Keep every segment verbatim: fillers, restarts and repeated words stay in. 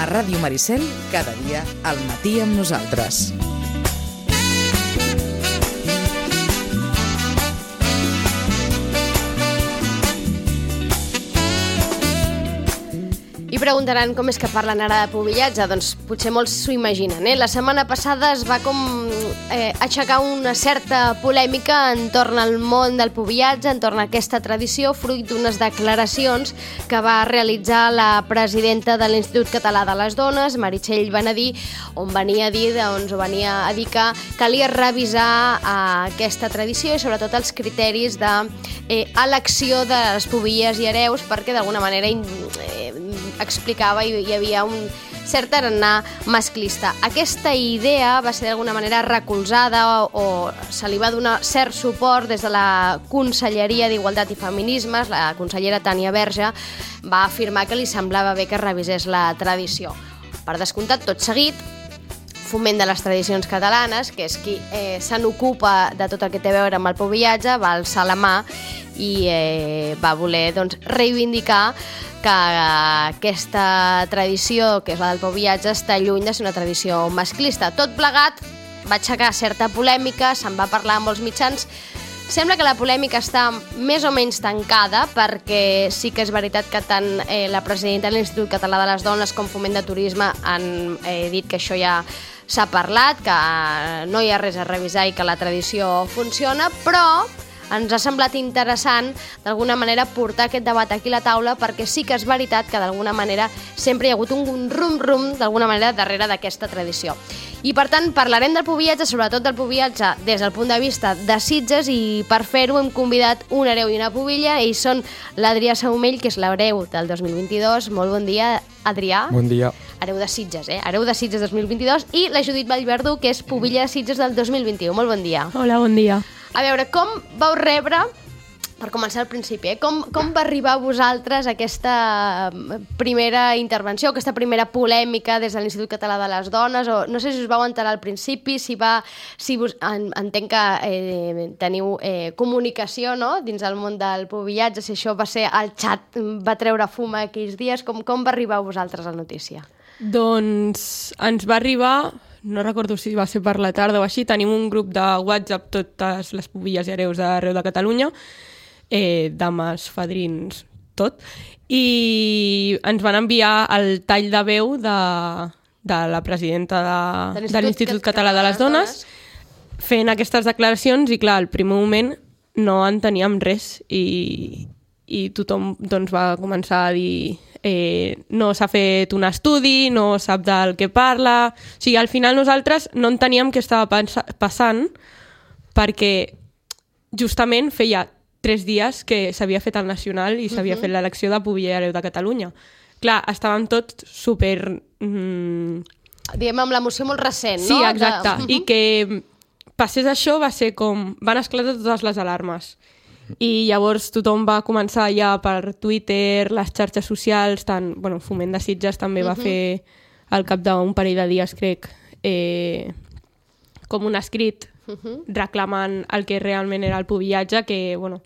A Ràdio Maricel, cada dia al matí amb nosaltres. I preguntaran com és que parlen ara de pubillatge. Doncs potser molts s'ho imaginen, eh? La setmana passada es va com eh, aixecar una certa polèmica entorn al món del pubillatge, entorn a aquesta tradició, fruit d'unes declaracions que va realitzar la presidenta de l'Institut Català de les Dones, Meritxell Benedí, on venia a dir, doncs, venia a dir que calia revisar eh, aquesta tradició i sobretot els criteris d'elecció de, eh, de les pubilles i hereus, perquè d'alguna manera eh, explicava i hi havia un cert tarannà masclista. Aquesta idea va ser d'alguna manera recolzada o, o se li va donar cert suport des de la Conselleria d'Igualtat i Feminismes. La consellera Tània Verge va afirmar que li semblava bé que es revisés la tradició. Per descomptat, tot seguit, Foment de les Tradicions Catalanes, que és qui eh, se n'ocupa de tot el que té a veure amb el pubillatge, va alçar la mà i eh, va voler doncs, reivindicar que aquesta tradició, que és la del pubillatge, està lluny de ser una tradició masclista. Tot plegat va aixecar certa polèmica, se'n va parlar amb molts mitjans. Sembla que la polèmica està més o menys tancada, perquè sí que és veritat que tant eh, la presidenta de l'Institut Català de les Dones com Foment de Turisme han eh, dit que això ja s'ha parlat, que no hi ha res a revisar i que la tradició funciona, però ens ha semblat interessant d'alguna manera portar aquest debat aquí a la taula, perquè sí que és veritat que d'alguna manera sempre hi ha hagut un rum-rum d'alguna manera darrere d'aquesta tradició. I per tant parlarem del pubillatge, sobretot del pubillatge des del punt de vista de Sitges, i per fer-ho hem convidat un hereu i una pubilla. Ells són l'Adrià Saumell, que és l'hereu del dos mil vint-i-dos. Molt bon dia, Adrià. Bon dia. Hereu de Sitges, eh? Hereu de Sitges dos mil vint-i-dos. I la Judit Vallverdú, que és pubilla de Sitges del dos mil vint-i-u. Molt bon dia. Hola, bon dia. A veure, com vau rebre, per començar al principi, eh? com, com va arribar a vosaltres aquesta primera intervenció, aquesta primera polèmica des de l'Institut Català de les Dones? O no sé si us vau enterar al principi, si va, si vos, en, entenc que eh, teniu eh, comunicació, no?, dins del món del pubillatge, si això va ser el xat, va treure fum aquells dies, com, com va arribar a vosaltres la notícia? Doncs ens va arribar... No recordo si va ser per la tarda o així, tenim un grup de WhatsApp, totes les pubilles i hereus d'arreu de Catalunya, eh, dames, fadrins, tot, i ens van enviar el tall de veu de, de la presidenta de, de l'Institut Català de les Dones fent aquestes declaracions, i clar, al primer moment no enteníem res, i, i tothom doncs, va començar a dir... Eh, no s'ha fet un estudi, no sap del que parla... O sigui, al final nosaltres no enteníem què estava passant, perquè justament feia tres dies que s'havia fet el nacional i s'havia uh-huh. fet l'elecció de pubilla i hereu de Catalunya. Clar, estàvem tots super... Mm... Diguem, amb l'emoció molt recent, sí, no? Sí, exacte. De... Uh-huh. I que passés això va ser com... Van esclatar totes les alarmes. I llavors tothom va començar ja per Twitter, les xarxes socials, tant, bueno, Foment de Sitges també va uh-huh. fer al cap d'un parell de dies, crec, eh, com un escrit uh-huh. reclamant el que realment era el pubillatge, que, bueno...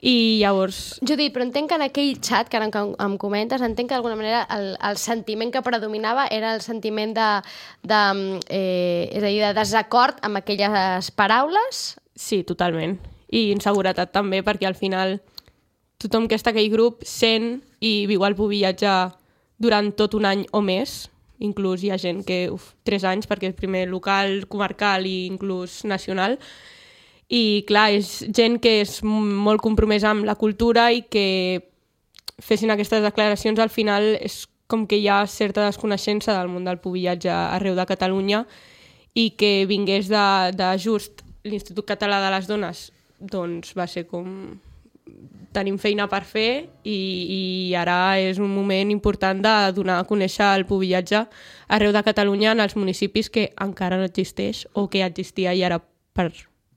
I llavors... Judit, però entenc que en aquell xat que ara em comentes, entenc que d'alguna manera el, el sentiment que predominava era el sentiment de, de, eh, és a dir, de desacord amb aquelles paraules? Sí, totalment. I inseguretat també, perquè al final tothom que està en aquell grup sent i viu el pubillatge durant tot un any o més. Inclús hi ha gent que, uf, tres anys, perquè és primer local, comarcal i inclús nacional. I clar, és gent que és molt compromesa amb la cultura, i que fessin aquestes declaracions al final és com que hi ha certa desconeixença del món del pubillatge arreu de Catalunya, i que vingués de, de just l'Institut Català de les Dones, doncs va ser com... Tenim feina per fer, i, i ara és un moment important de donar a conèixer el pubillatge arreu de Catalunya en els municipis que encara no existeix o que existia i ara per...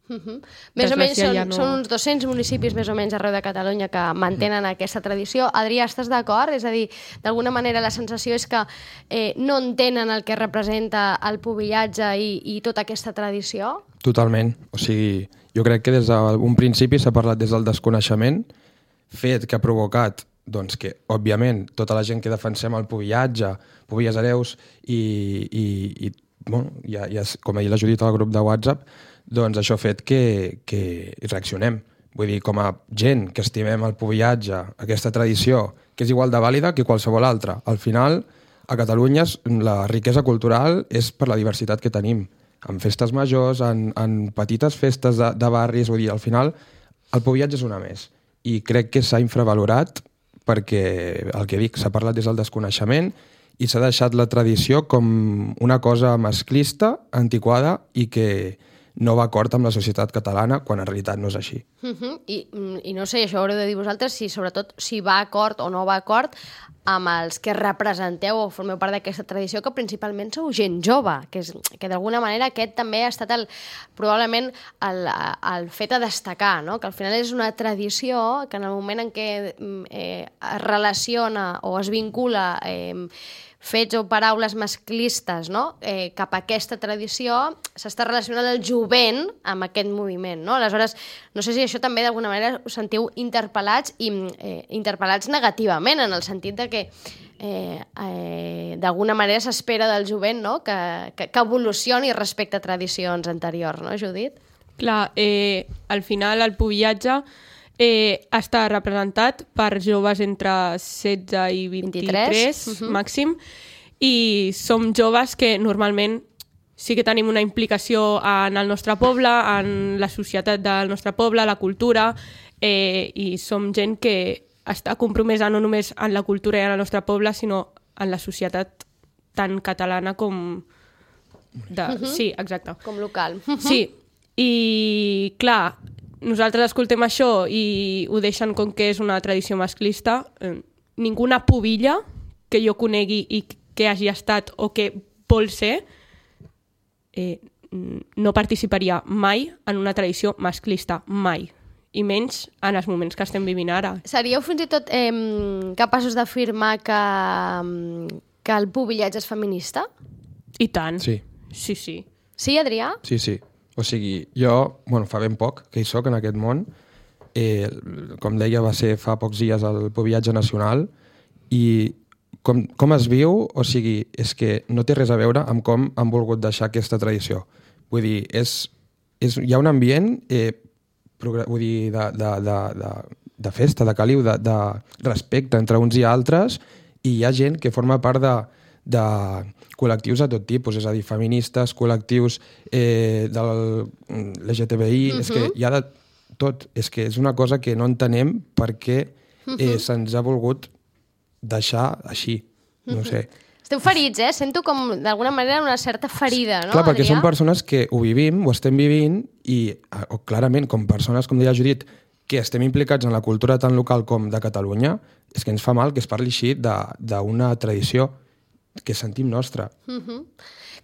Uh-huh. Més o menys són, ja no... són uns dos-cents municipis més o menys arreu de Catalunya que mantenen aquesta tradició. Adrià, estàs d'acord? És a dir, d'alguna manera la sensació és que eh, no entenen el que representa el pubillatge i, i tota aquesta tradició? Totalment. O sigui, jo crec que des d'un principi s'ha parlat des del desconeixement, fet que ha provocat doncs que, òbviament, tota la gent que defensem el pubillatge, Pubilles Hereus i, i, i bueno, ja, ja, com ahir la Judit al grup de WhatsApp, doncs això ha fet que, que reaccionem. Vull dir, com a gent que estimem el pubillatge, aquesta tradició, que és igual de vàlida que qualsevol altra. Al final, a Catalunya la riquesa cultural és per la diversitat que tenim, en festes majors, en, en petites festes de, de barris, vull dir, al final el pubillatge és una més. I crec que s'ha infravalorat perquè, el que dic, s'ha parlat des del desconeixement i s'ha deixat la tradició com una cosa masclista, antiquada i que no va acord amb la societat catalana, quan en realitat no és així. Uh -huh. I, I no sé, això ho haureu de dir vosaltres, si sobretot si va acord o no va acord amb els que representeu o formeu part d'aquesta tradició, que principalment sou gent jove, que, és, que d'alguna manera aquest també ha estat el, probablement el, el fet a destacar, no? Que al final és una tradició que en el moment en què eh, es relaciona o es vincula eh, fets o paraules masclistes, no? eh, cap a aquesta tradició, s'està relacionant el jovent amb aquest moviment, no? Aleshores, no sé si això també d'alguna manera us sentiu interpel·lats i eh, interpel·lats negativament, en el sentit de que eh, eh, d'alguna manera s'espera del jovent, no? que, que, que evolucioni respecte a tradicions anteriors, no, Judit? Clar, eh, al final el pubillatge eh, està representat per joves entre setze i vint-i-tres, vint-i-tres. Uh-huh. màxim, i som joves que normalment sí que tenim una implicació en el nostre poble, en la societat del nostre poble, la cultura, eh, i som gent que està compromesa no només en la cultura i en el nostre poble, sinó en la societat tan catalana com... De... Uh-huh. Sí, exacte. Com local. Sí, i clar, nosaltres escoltem això i ho deixen com que és una tradició masclista. Eh, ninguna pubilla que jo conegui i que hagi estat o que vol ser eh, no participaria mai en una tradició masclista, mai. I menys en els moments que estem vivint ara. Seríeu fins i tot eh, capaços d'afirmar que, que el pubillatge és feminista? I tant. Sí. Sí, sí. Sí, Adrià? Sí, sí. O sigui, jo, bueno, fa ben poc que hi soc en aquest món, eh, com deia, va ser fa pocs dies el pubillatge nacional, i com, com es viu, o sigui, és que no té res a veure amb com han volgut deixar aquesta tradició. Vull dir, és, és, hi ha un ambient eh, vull dir, de, de, de, de, de festa, de caliu, de, de respecte entre uns i altres, i hi ha gent que forma part de, de col·lectius de tot tipus, és a dir, feministes, col·lectius eh, de l'L G T B I, uh-huh. És que hi ha de tot. És que és una cosa que no entenem per què eh, uh-huh. se'ns ha volgut deixar així. No uh-huh. sé. Esteu ferits, eh? Sento com, d'alguna manera, una certa ferida, no, Clar, perquè Adrià? són persones que ho vivim, ho estem vivint, i o, clarament, com persones, com deia Judit, que estem implicats en la cultura tan local com de Catalunya, és que ens fa mal que es parli així d'una tradició que sentim nostra. Uh-huh.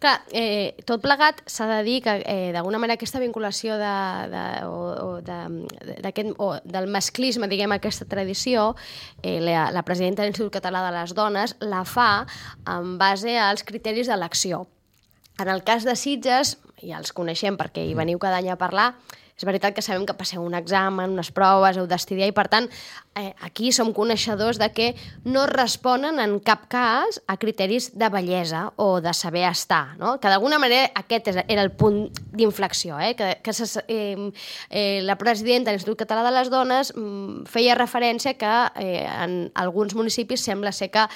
Clar, eh, tot plegat s'ha de dir que eh, d'alguna manera aquesta vinculació de, de, o, o de, o del masclisme, diguem, aquesta tradició, eh, la, la presidenta de l'Institut Català de les Dones la fa en base als criteris d'elecció. En el cas de Sitges, ja els coneixem perquè hi veniu cada any a parlar, és veritat que sabem que passeu un examen, unes proves, heu d'estudiar, i per tant eh, aquí som coneixedors de que no responen en cap cas a criteris de bellesa o de saber estar, no? Que d'alguna manera aquest era el punt d'inflexió, eh? que, que se, eh, eh, la presidenta de l'Institut Català de les Dones mm, feia referència que eh, en alguns municipis sembla ser que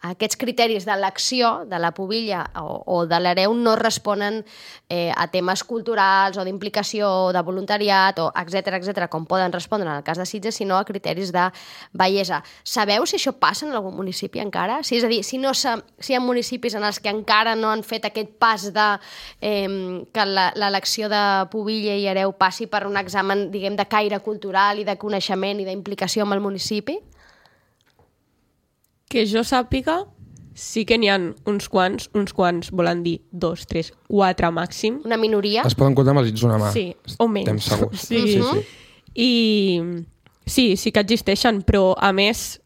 aquests criteris d'elecció de la pubilla o, o de l'hereu no responen eh, a temes culturals o d'implicació o de voluntariat o etcètera, etcètera, com poden respondre en el cas de Sitges, sinó a criteris de bellesa. Sabeu si això passa en algun municipi encara? Sí, és a dir, si, no si hi ha municipis en els que encara no han fet aquest pas de eh, que l'elecció de pubilla i hereu passi per un examen, diguem, de caire cultural i de coneixement i d'implicació amb el municipi? Que jo sàpiga, sí que n'hi ha uns quants, uns quants volen dir dos, tres, quatre màxim. Una minoria? Es poden comptar amb els dits d'una mà. Sí, o menys. Estem segurs. Sí. Sí, sí. I sí, sí que existeixen, però a més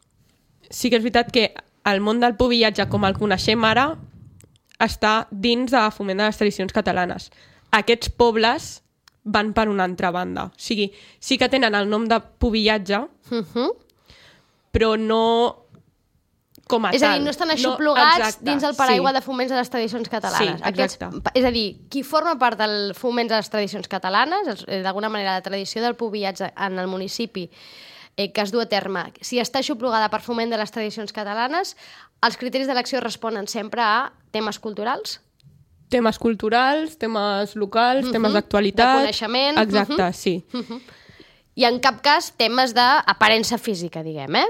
sí que és veritat que el món del pubillatge com el coneixem ara està dins de foment de les tradicions catalanes. Aquests pobles van per una altra banda. O sigui, sí que tenen el nom de pubillatge, Uh-huh. però no com a és tal. a dir, no estan aixoplugats no, dins el paraigua sí. de Foments de les Tradicions Catalanes. Sí, exacte. Aquests, és a dir, qui forma part del Foments de les Tradicions Catalanes, d'alguna manera la tradició del pubillatge en el municipi eh, que es du a terme, si està aixoplugada per Foment de les Tradicions Catalanes, els criteris d'elecció responen sempre a temes culturals? Temes culturals, temes locals, uh-huh. temes d'actualitat... De coneixement... Exacte, uh-huh. sí. Uh-huh. I en cap cas temes d'aparença física, diguem, eh?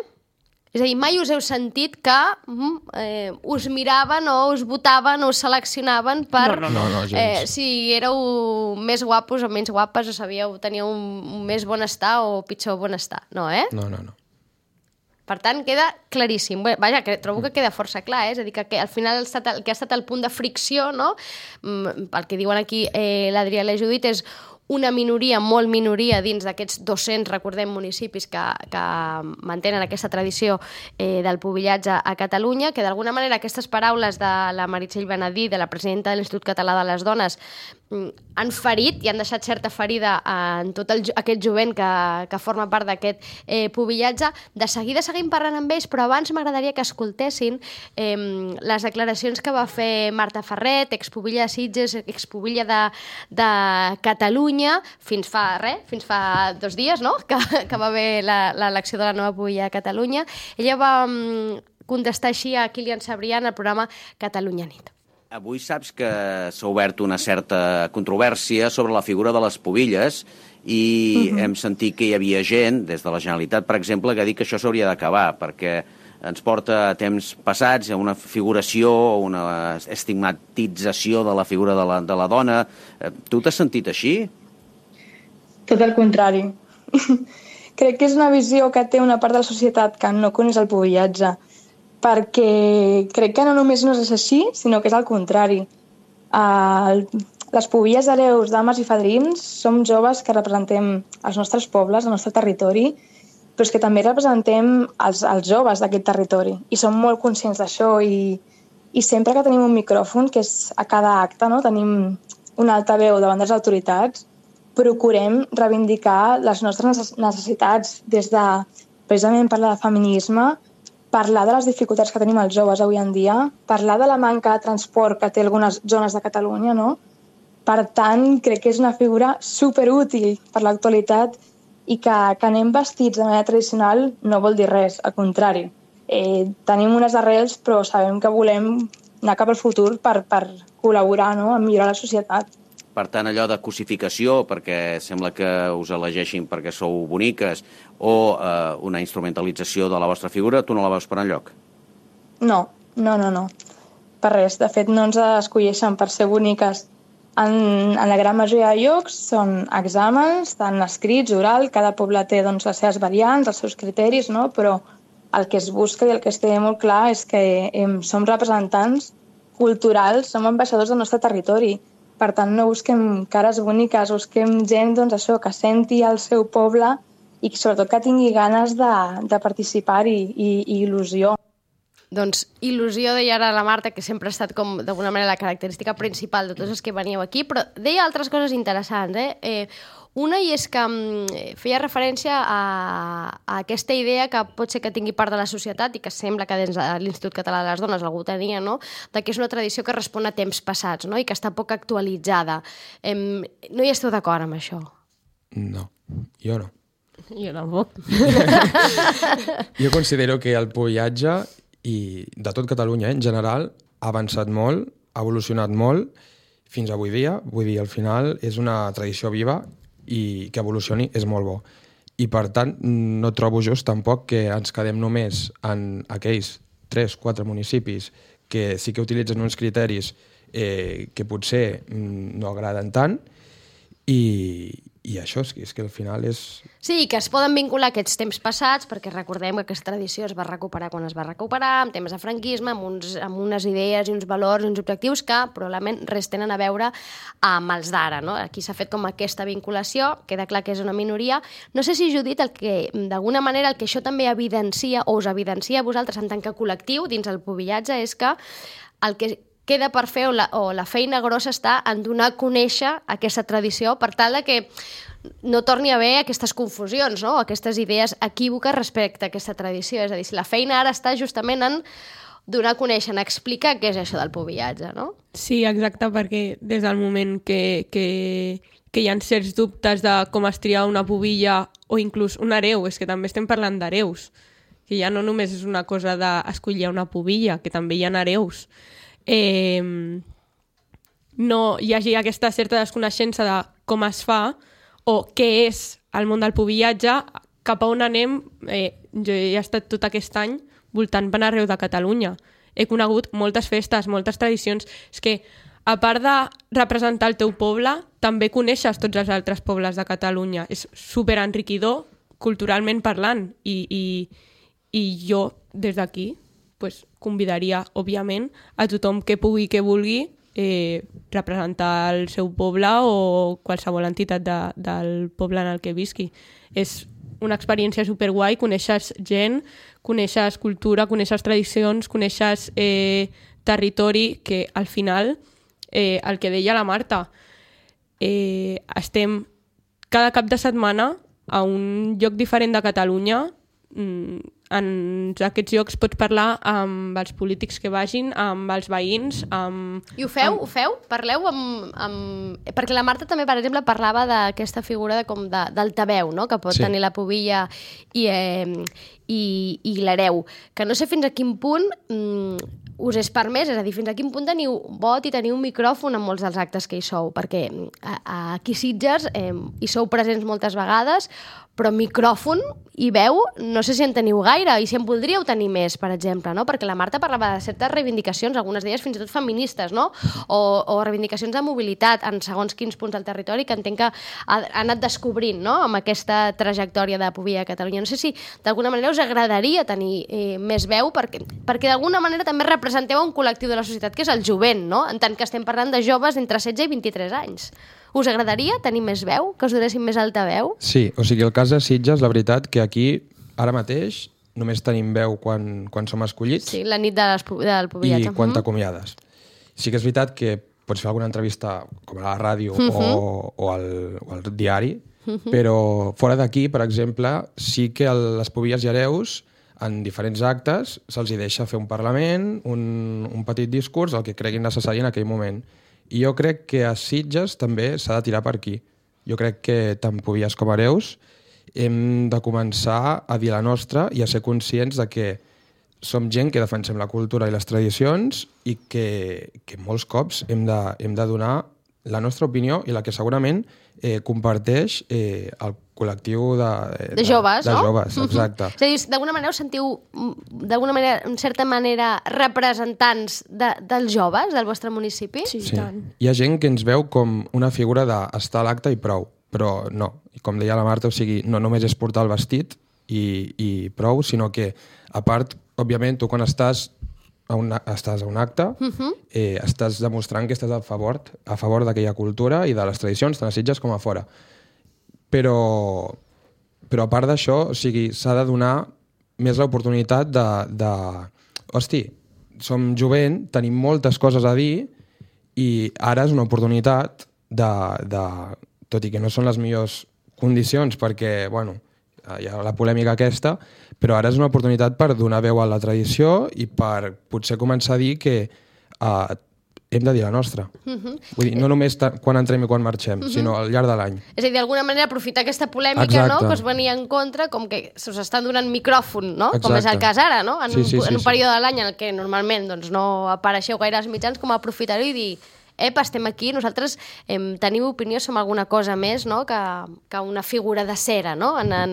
És a dir, mai us heu sentit que mm, eh, us miraven o us votaven o us seleccionaven per no, no, no, no, eh, si éreu més guapos o menys guapes o sabíeu, teníeu un, un més bonestar o pitjor bonestar. No, eh? No, no, no. Per tant, queda claríssim. Bé, vaja, que trobo que queda força clar, eh? És a dir, que, que al final el, el que ha estat el punt de fricció, no? Mm, el que diuen aquí eh, l'Adrià i la Judit és una minoria, molt minoria, dins d'aquests dos-cents, recordem, municipis que, que mantenen aquesta tradició eh, del pubillatge a Catalunya, que d'alguna manera aquestes paraules de la Meritxell Benedí, de la presidenta de l'Institut Català de les Dones, han ferit i han deixat certa ferida en tot el, aquest jovent que, que forma part d'aquest eh, pubillatge. De seguida seguim parlant amb ells, però abans m'agradaria que escoltessin eh, les declaracions que va fer Marta Ferret, expubilla de Sitges, expubilla de, de Catalunya, fins fa res, fins fa dos dies, no?, que, que va haver l'elecció de la nova pubilla a Catalunya. Ella va mm, contestar així a Kilian Sabrià en el programa Catalunya Nit. Avui saps que s'ha obert una certa controvèrsia sobre la figura de les pubilles i uh-huh. hem sentit que hi havia gent, des de la Generalitat, per exemple, que ha dit que això s'hauria d'acabar, perquè ens porta a temps passats a una figuració, una estigmatització de la figura de la, de la dona. Tu t'has sentit així? Tot el contrari. Crec que és una visió que té una part de la societat que no coneix el pubillatge, perquè crec que no només no és així, sinó que és al contrari. Uh, les pubilles hereus, dames i fadrins, som joves que representem els nostres pobles, el nostre territori, però és que també representem els, els joves d'aquest territori i som molt conscients d'això i, i sempre que tenim un micròfon, que és a cada acte, no? Tenim un altaveu davant de les autoritats, procurem reivindicar les nostres necessitats des de, precisament, parlar de feminisme, parlar de les dificultats que tenim els joves avui en dia, parlar de la manca de transport que té algunes zones de Catalunya, no? Per tant, crec que és una figura superútil per l'actualitat i que, que anem vestits de manera tradicional no vol dir res, al contrari. Eh, tenim unes arrels, però sabem que volem anar cap al futur per, per col·laborar, no?, a millorar la societat. Per tant, allò de cosificació, perquè sembla que us elegeixin perquè sou boniques, o eh, una instrumentalització de la vostra figura, tu no la veus per enlloc? No, no, no, no. Per res. De fet, no ens escolleixen per ser boniques. En, en la gran majoria de llocs són exàmens, tant escrits, oral, cada poble té doncs, les seves variants, els seus criteris, no? Però el que es busca i el que es té molt clar és que eh, som representants culturals, som ambaixadors del nostre territori. Per tant, no busquem cares boniques, busquem gent doncs, això, que senti el seu poble i sobretot que tingui ganes de, de participar-hi i, i il·lusió. Doncs il·lusió, deia ara la Marta, que sempre ha estat com d'alguna manera la característica principal de tots els que veníeu aquí, però deia altres coses interessants. Eh? Eh, una i és que feia referència a, a aquesta idea que pot ser que tingui part de la societat i que sembla que dins de l'Institut Català de les Dones algú tenia, no?, de que és una tradició que respon a temps passats, no?, i que està poc actualitzada. Eh, no hi esteu d'acord amb això? No, jo no. Jo tampoc. Jo considero que el pubillatge i de tot Catalunya en general ha avançat molt, ha evolucionat molt fins avui dia. Vull dir, al final és una tradició viva i que evolucioni és molt bo. I per tant no trobo just tampoc que ens quedem només en aquells tres o quatre municipis que sí que utilitzen uns criteris eh, que potser no agraden tant i, i això és que, és que al final és... Sí, que es poden vincular aquests temps passats, perquè recordem que aquesta tradició es va recuperar quan es va recuperar, amb temes de franquisme, amb, uns, amb unes idees i uns valors i uns objectius que probablement res tenen a veure amb els d'ara, no? Aquí s'ha fet com aquesta vinculació, queda clar que és una minoria. No sé si, Judit, el que d'alguna manera el que això també evidencia o us evidencia a vosaltres en tant que col·lectiu dins el pubillatge és que el que queda per fer o la, o la feina grossa està en donar a conèixer aquesta tradició per tal de que no torni a haver aquestes confusions, no? Aquestes idees equívoques respecte a aquesta tradició. És a dir, si la feina ara està justament en donar a conèixer, en explicar què és això del pubillatge, no? Sí, exacte, perquè des del moment que, que, que hi ha certs dubtes de com es tria una pubilla o inclús un hereu, és que també estem parlant d'hereus, que ja no només és una cosa d'escollir una pubilla, que també hi ha hereus. Eh, no hi hagi aquesta certa desconeixença de com es fa o què és el món del pubillatge, cap a on anem. Eh, jo he estat tot aquest any voltant per arreu de Catalunya. He conegut moltes festes, moltes tradicions. És que, a part de representar el teu poble, també coneixes tots els altres pobles de Catalunya. És superenriquidor, culturalment parlant. I, i, i jo, des d'aquí, pues, convidaria, òbviament, a tothom que pugui, que vulgui, eh, representar el seu poble o qualsevol entitat de, del poble en el que visqui. És una experiència superguai, coneixes gent, coneixes cultura, coneixes tradicions, coneixes eh, territori, que al final, eh, el que deia la Marta, eh, estem cada cap de setmana a un lloc diferent de Catalunya. En aquests llocs pots parlar amb els polítics que vagin, amb els veïns, amb... I ho feu? Amb... Ho feu? Parleu amb, amb... Perquè la Marta també, per exemple, parlava d'aquesta figura de, com de, d'altaveu, no? Que pot sí. tenir la pubilla i, eh, i, i l'hereu. Que no sé fins a quin punt mm, us és permès, és a dir, fins a quin punt teniu vot i teniu un micròfon en molts dels actes que hi sou, perquè a, a aquí Sitges eh, hi sou presents moltes vegades, però micròfon i veu no sé si en teniu gaire i si en voldríeu tenir més, per exemple, no? Perquè la Marta parlava de certes reivindicacions, algunes d'elles fins i tot feministes, no? O, o reivindicacions de mobilitat en segons quins punts del territori que entenc que ha, ha anat descobrint, no? Amb aquesta trajectòria de Pubilla a Catalunya. No sé si d'alguna manera us agradaria tenir eh, més veu, perquè, perquè d'alguna manera també representeu un col·lectiu de la societat que és el jovent, no? En tant que estem parlant de joves entre setze i vint-i-tres anys. Us agradaria tenir més veu? Que us donessin més alta veu? Sí, o sigui, el cas de Sitges, la veritat, que aquí, ara mateix, només tenim veu quan, quan som escollits. Sí, la nit de les, del pubillatge. I quan t'acomiades. Sí que és veritat que pots fer alguna entrevista com a la ràdio uh-huh. o, o, al, o al diari, uh-huh. però fora d'aquí, per exemple, sí que el, les pubilles i hereus, en diferents actes, se'ls hi deixa fer un parlament, un, un petit discurs, el que creguin necessari en aquell moment. I jo crec que a Sitges també s'ha de tirar per aquí. Jo crec que tant pubilles com hereus hem de començar a dir la nostra i a ser conscients de que som gent que defensem la cultura i les tradicions i que, que molts cops hem de, hem de donar la nostra opinió i la que segurament eh, comparteix eh, el col·lectiu de, de, de joves, de, no? De joves, exacte. És a dir, d'alguna manera us sentiu, d'alguna manera, en certa manera, representants de, dels joves del vostre municipi? Sí, sí. tant. Hi ha gent que ens veu com una figura d'estar a l'acte i prou, però no. I com deia la Marta, o sigui, no només és portar el vestit i, i prou, sinó que, a part, òbviament, tu quan estàs a un, estàs a un acte, uh-huh. eh, estàs demostrant que estàs a favor, a favor d'aquella cultura i de les tradicions, tant a Sitges com a fora. Però, però a part d'això, o sigui, s'ha de donar més l'oportunitat de, de... Hosti, som jovent, tenim moltes coses a dir i ara és una oportunitat de, de... Tot i que no són les millors condicions perquè, bueno, hi ha la polèmica aquesta, però ara és una oportunitat per donar veu a la tradició i per potser començar a dir que uh, hem de dir la nostra. Uh-huh. Vull dir, no només quan entrem i quan marxem, uh-huh. sinó al llarg de l'any. És a dir, d'alguna manera aprofitar aquesta polèmica, Exacte. No?, que us venia en contra, com que se us estan donant micròfon, no? Exacte. Com és el cas ara, no? En, sí, sí, un, sí, en un sí. període de l'any en què normalment doncs, no apareixeu gaire als mitjans, com aprofitar-ho i dir epa, estem aquí, nosaltres eh, tenim opinió sobre alguna cosa més, no?, que, que una figura de cera, no?, en, en,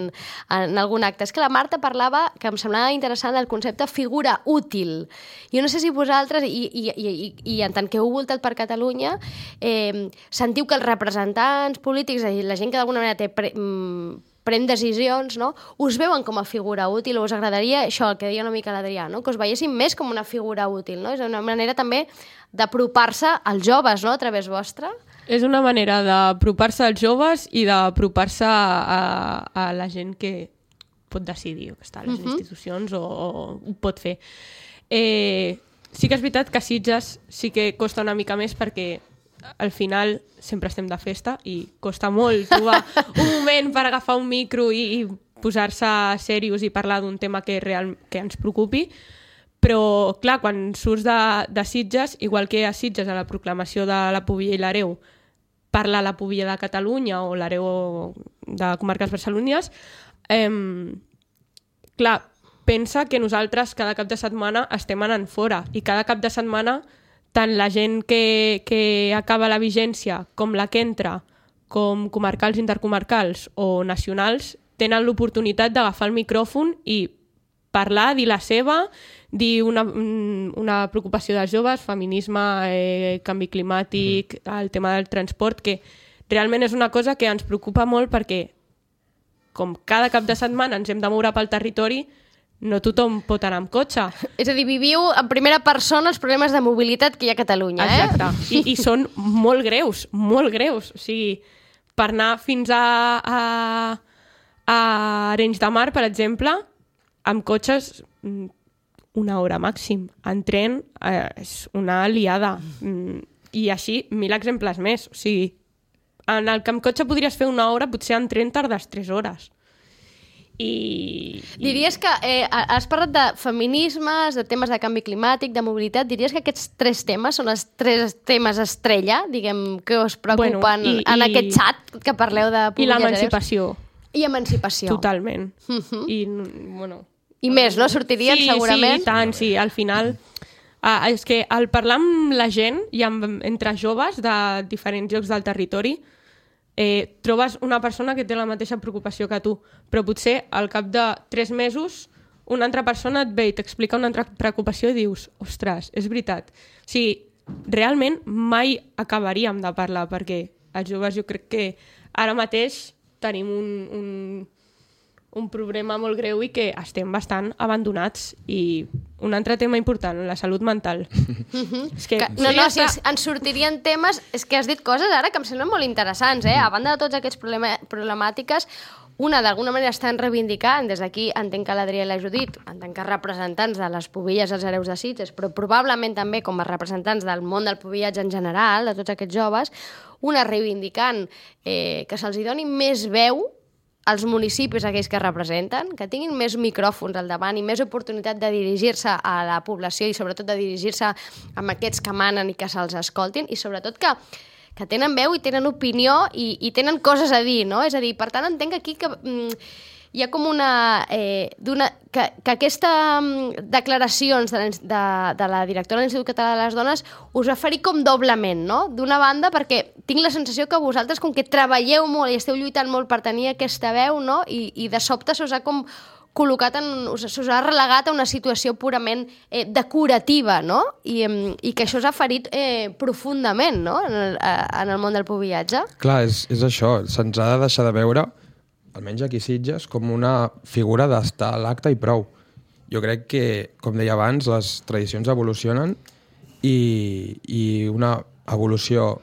en algun acte. És que la Marta parlava, que em semblava interessant, el concepte figura útil. Jo no sé si vosaltres, i, i, i, i, i en tant que heu voltat per Catalunya, eh, sentiu que els representants polítics, la gent que d'alguna manera té pre, mm, pren decisions, no?, us veuen com a figura útil, o us agradaria això, el que deia una mica l'Adrià, no?, que us veiessin més com una figura útil, no? És una manera també d'apropar-se als joves, no?, a través vostra. És una manera d'apropar-se als joves i d'apropar-se a, a la gent que pot decidir, que està a les uh-huh. institucions o, o ho pot fer. Eh, sí que és veritat que a Sitges sí que costa una mica més perquè al final sempre estem de festa i costa molt trobar un moment per agafar un micro i, i posar-se serios i parlar d'un tema que, real, que ens preocupi. Però, clar, quan surts de, de Sitges, igual que a Sitges, a la proclamació de la Pubilla i l'Hereu, parla la Pubilla de Catalunya o l'Hereu de comarques barcelonines, eh, clar, pensa que nosaltres cada cap de setmana estem anant fora i cada cap de setmana tant la gent que, que acaba la vigència com la que entra, com comarcals, intercomarcals o nacionals, tenen l'oportunitat d'agafar el micròfon i parlar, dir la seva, dir una, una preocupació dels joves, feminisme, eh, canvi climàtic, el tema del transport, que realment és una cosa que ens preocupa molt perquè com cada cap de setmana ens hem de moure pel territori, no tothom pot anar amb cotxe. És a dir, viviu en primera persona els problemes de mobilitat que hi ha a Catalunya, eh? Exacte. I, i són molt greus, molt greus. O sigui, per anar fins a, a, a Arenys de Mar, per exemple, amb cotxes una hora màxim. En tren eh, és una liada. I així, mil exemples més. O sigui, en el que amb cotxe podries fer una hora, potser en tren tardes tres hores. I, diries que eh, has parlat de feminismes, de temes de canvi climàtic, de mobilitat, diries que aquests tres temes són els tres temes estrella, diguem, que us preocupen bueno, i, en i, aquest xat que parleu de i l'emancipació. I emancipació. Totalment. Uh -huh. I, bueno, I més, no? Sortirien sí, segurament? Sí, i tant, sí. Al final, uh, és que al parlar amb la gent i amb, entre joves de diferents llocs del territori, Eh, trobes una persona que té la mateixa preocupació que tu, però potser al cap de tres mesos una altra persona et ve i t'explica una altra preocupació i dius, ostres, és veritat. O sigui, realment mai acabaríem de parlar perquè els joves jo crec que ara mateix tenim un, un, un problema molt greu i que estem bastant abandonats. I un altre tema important, la salut mental. Mm-hmm. És que, que, no, no, si ens, ens sortirien temes... És que has dit coses ara que em semblen molt interessants, eh? A banda de tots aquests problema, problemàtiques, una, d'alguna manera, estan reivindicant, des d'aquí entenc que l'Adrià i la Judit, en tant que representants de les Pubilles i els Hereus de Sitges, però probablement també com a representants del món del pubillatge en general, de tots aquests joves, una reivindicant eh, que se'ls doni més veu als municipis aquells que representen, que tinguin més micròfons al davant i més oportunitat de dirigir-se a la població i sobretot de dirigir-se amb aquests que manen i que se'ls escoltin i sobretot que, que tenen veu i tenen opinió i, i tenen coses a dir, no? És a dir, per tant, entenc aquí que mm, hi ha com una... Eh, d'una que, que aquestes mm, declaracions de la, de, de la directora de l'Institut Català de les Dones us va ferir com doblement, no? D'una banda, perquè tinc la sensació que vosaltres, com que treballeu molt i esteu lluitant molt per tenir aquesta veu, no? I, i de sobte se'us ha com col·locat en... se'us ha relegat a una situació purament eh, decorativa, no? I, i que això us ha ferit eh, profundament, no? En el, en el món del pubillatge. Clar, és, és això. Se'ns ha de deixar de veure, almenys aquí a Sitges, com una figura d'estar a l'acte i prou. Jo crec que, com deia abans, les tradicions evolucionen i, i una evolució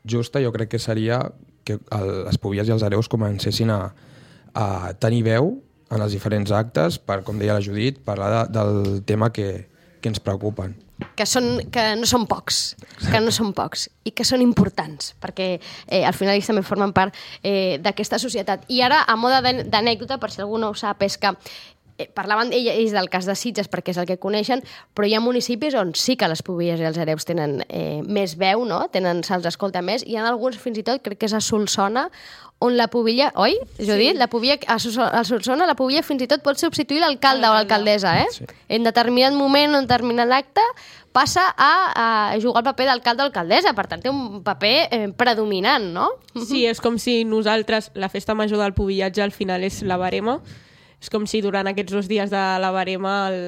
justa jo crec que seria que el, les Pubilles i els Hereus comencessin a, a tenir veu en els diferents actes per, com deia la Judit, parlar de, del tema que, que ens preocupen. Que, són, que no són pocs, que no són pocs i que són importants, perquè eh, al final ells també formen part eh, d'aquesta societat. I ara, a moda d'anècdota, per si algú no ho sap, és que eh, parlaven ells del cas de Sitges perquè és el que coneixen, però hi ha municipis on sí que les Pubilles i els Hereus tenen eh, més veu, no? Tenen, se'ls escolta més. Hi ha alguns, fins i tot, crec que és a Solsona, on la pubilla, oi, Judit? Sí. La pubilla, a Solsona la pubilla fins i tot pot substituir l'alcalde o l'alcaldessa, eh? Sí. En determinat moment, en determinat acte, passa a, a jugar el paper d'alcalde o alcaldessa, per tant té un paper eh, predominant, no? Sí, és com si nosaltres, la festa major del pubillatge al final és la barema, és com si durant aquests dos dies de la barema el,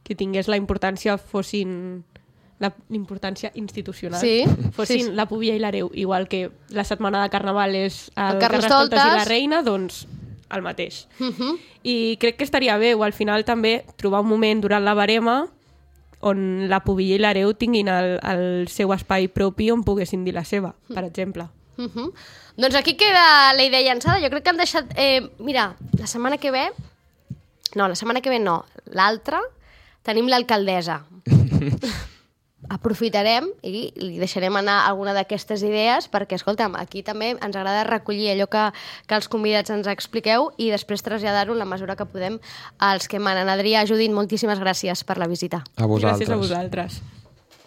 que tingués la importància fossin la importància institucional, sí, fossin sí. la Pubilla i l'Hereu, igual que la setmana de Carnaval és el, el Carnestoltes i la Reina, doncs el mateix. Uh -huh. I crec que estaria bé, o al final també, trobar un moment durant la barema on la Pubilla i l'Hereu tinguin el, el seu espai propi on poguessin dir la seva, per exemple. Uh -huh. Doncs aquí queda la idea llançada. Jo crec que han deixat... Eh, mira, la setmana que ve... No, la setmana que ve no. L'altra tenim l'alcaldessa. aprofitarem i li deixarem anar alguna d'aquestes idees perquè, escolta'm, aquí també ens agrada recollir allò que, que els convidats ens expliqueu i després traslladar-ho en la mesura que podem als que manen. Adrià, Judit, moltíssimes gràcies per la visita. A vosaltres. Gràcies a vosaltres.